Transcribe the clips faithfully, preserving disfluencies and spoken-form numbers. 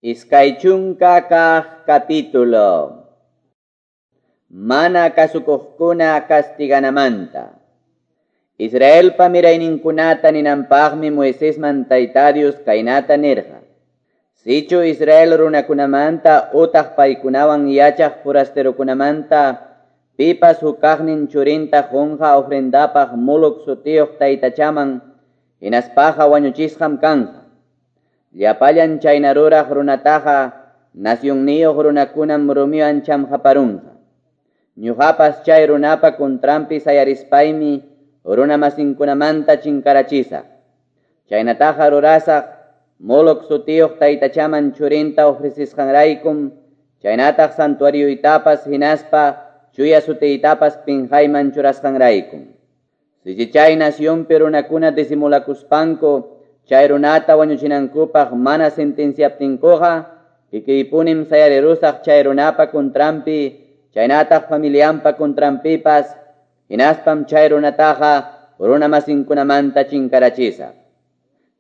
Iskay chunka kaq capítulo. Mana kasukuqkuna castiganamanta. Israelpa mirayninkunata ninanpaqmi Moisesman Tayta Dios kaynata nirqa. Sichu Israel runakunamanta utaq paykunawan yachaq forasterokunamanta pipas hukaqnin churinta qunqa ofrendapaq Moloc sutiyuq taytachaman hinaspaqa wañuchisqam kanqa. Llapallan chayna ruraq runataqa nacionniyuq runakunam rumiwan chamqaparunqa. Ñuqapas chay runapa contranpi sayarispaymi runamasinkunamanta chinkarachisaq. Chaynataqa rurasaq Moloc sutiyuq taytachaman churinta ofrecisqanraykum, chaynataq santuarioytapas hinaspa chuya sutiytapas pinqayman churasqanraykum. Sichi chay nacionpi runakuna disimulakuspanku chay runata wañuchinankupaq mana sentenciaptinkuqa, kikiypunim sayarirusaq chay runapa contranpi, chaynataq familianpa contranpipas, hinaspam chay runataqa runamasinkunamanta chinkarachisaq.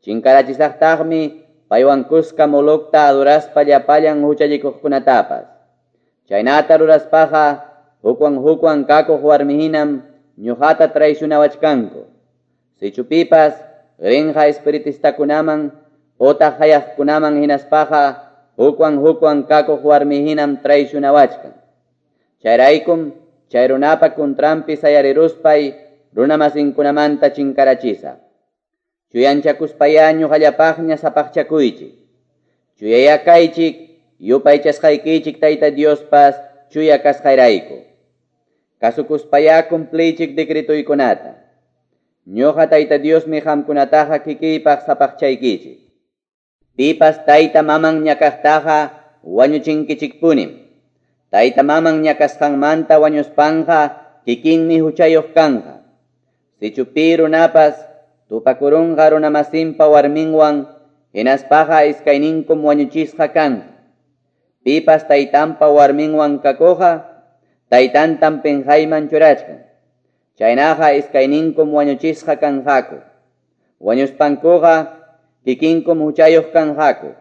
Chinkarachisaqtaqmi paywan kuska Molocta adoraspa llapallan huchallikuqkunatapas. Chaynata ruraspaqa hukwan hukwan kakuq warmihinam ñuqata traicionawachkanku. Sichu pipas rinqa espiritistakunaman utaq hayaqkunaman hinaspaqa hukwan hukwan kakuq warmihinam traicionawachkan. Chayraykum chay runapa contranpi sayariruspay runamasinkunamanta chinkarachisaq. Chuyanchakuspayá ñuqallapaqña sapaqchakuychik. Chuyayá kaychik yupaychasqaykichik Tayta Diospas chuya kasqayrayku. Kasukuspayá cumpliychik decretuykunata. Ñuqa Tayta Diosmi qamkunataqa kikiypaq sapaqchaykichik. Pipas tayta maman ñakaqtaqa wañuchinkichikpunim. Tayta maman ñakasqanmanta wañuspanqa kikinmi huchayuq kanqa. Sichu pi runapas tupakurunqa runamasinpa warminwan hinaspaqa iskayninkum wañuchisqa kanqa. Pipas taytanpa warminwan kakuqqa taytantam pinqayman churachkan. Chaynaqa iskayninkum wañuchisqa kanqaku. Wañuspankuqa kikinkum huchayuq kanqaku.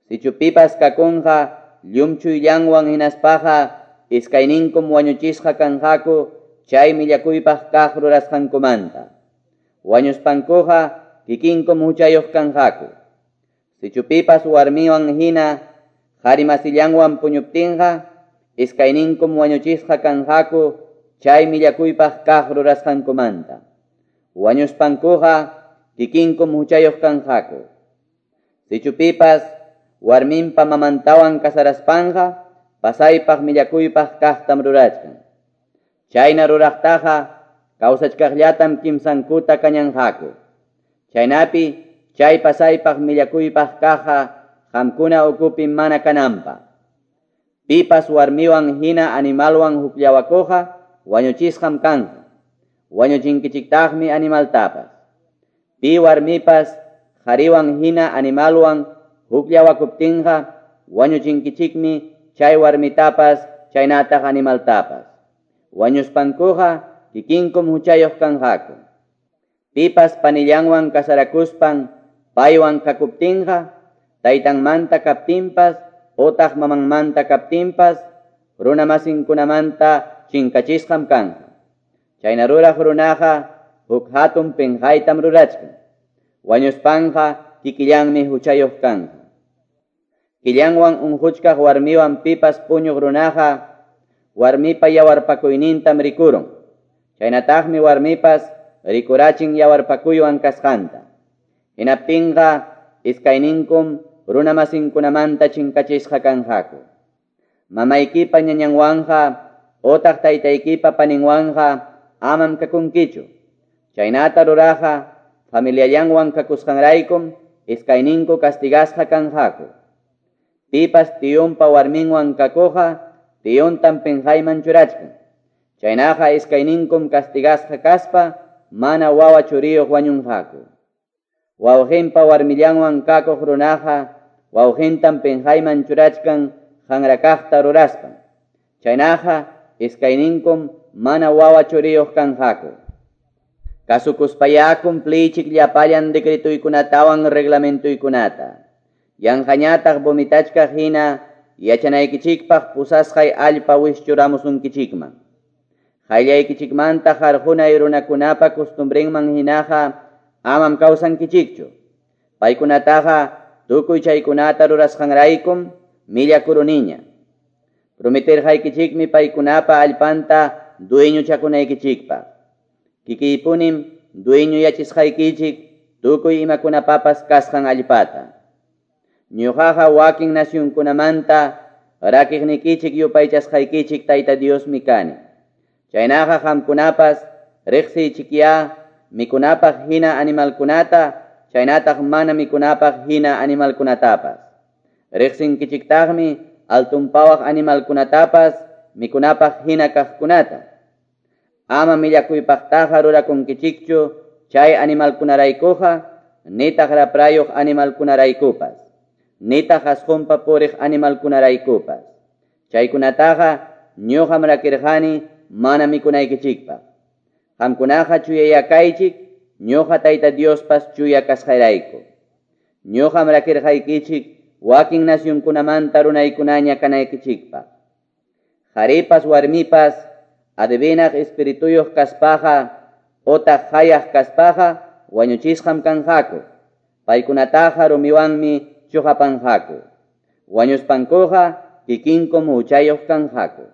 Sichu pipas kakunqa llumchuyllanwan hinaspaqa iskayninkum wañuchisqa kanqaku chay millakuypaq kaq rurasqankumanta. Wañuspankuqa kikinkum huchayuq kanqaku. Sichu pipas warmiwan hina qharimasillanwan puñuptinqa iskayninkum wañuchisqa kanqaku chay millakuypaq kaq rurasqankumanta. Wañuspankuqa kikinkum huchayuq kanqaku. Sichu pipas warminpa mamantawan kasaraspanqa pasaypaq millakuypaq kaqtam rurachkan. Chayna ruraqtaqa kawsachkaqllatam kimsankuta kañanqaku. Chaynapi chay pasaypaq millakuypaq kaqqa qamkuna ukupi mana kananpaq. Pipas warmiwan hina animalwan hukllawakuqqa wañuchisqam kanqa. Wañuchinkichiktaqmi animaltapas. Pi warmipas qhariwan hina animalwan hukllawakuptinqa wañuchinkichikmi chay warmitapas chaynataq animaltapas. Wañuspankuqa kikinkum huchayuq kanqaku. Pipas panillanwan kasarakuspan paywan kakuptinqa taytanmanta kaptinpas utaq mamanmanta kaptinpas runamasinkunamanta chinkachisqam kanqa. Chayna ruraq runaqa huk hatun pinqaytam rurachkan. Wañuspanqa kikillanmi huchayuq kanqa. Killanwan unquchkaq warmiwan pipas puñuq runaqa warmipa yawarpakuynintam rikurun. Chaynataqmi warmipas rikurachin yawarpakuywan kasqanta. Hinaptinqa iskayninkum runamasinkunamanta chinkachisqa kanqaku. Mamaykipa ñañanwanqa utaq taytaykipa paninwanqa amam kakunkichu. Chaynata ruraqqa familiallanwan kakusqanraykum iskayninku castigasqa kanqaku. Pipas tiyunpa warminwan kakuqqa tiyuntam pinqayman churachkan. Chaynaqa iskayninkum castigasqa kaspa mana wawa churiyuq wañunqaku. Wawqinpa warmillanwan kakuq runaqa wawqintam pinqayman churachkan qanrakaqta ruraspan. Chaynaqa iskayninkum mana wawa churiyuq kanqaku. Kasukuspayá cumpliychik llapallan decretuykunatawan reglamentuykunata. Yanqañataq vomitachkaq hina yachanaykichikpaq pusasqay allpa wischuramusunkichikman. Qayllaykichikmanta qarqunay runakunapa costumbrenman hinaqa amam kawsankichikchu. Paykunataqa tukuy chaykunata rurasqanraykum millakuruniña. Prometerqaykichikmi paykunapa allpanta dueñochakunaykichikpaq. Kikiypunim dueño yachisqaykichik tukuy imakunapapas kasqan allpata. Ñuqaqa wakin nacionkunamanta rakiqnikichik yupaychasqaykichik Tayta Diosmi kani. Chaynaqa qamkunapas riqsiychikyá mikunapaq hina animalkunata, chaynataq mana mikunapaq hina animalkunatapas. Riqsinkichiktaqmi altunpawaq animalkunatapas mikunapaq hina kaqkunata. Ama millakuypaqtaqa rurakunkichikchu chay animalkunaraykuqa, nitaq raprayuq animalkunaraykupas, nitaq asqunpa puriq animalkunaraykupas. Chaykunataqa ñuqam rakirqani mana mikunaykichikpaq. Qamkunaqa chuyayakaychik, ñuqa Tayta Diospas chuya kasqayrayku. Ñuqam rakirqaykichik wakin nacionkunamanta runaykunaña kanaykichikpaq. Qharipas warmipas adivinaq espirituyuq kaspaqa otaq hayaq kaspaqa wañuchisqam kanqaku. Paykunataqa rumiwanmi chuqapanqaku. Wañuspankuqa kikinkum huchayuq kanqaku.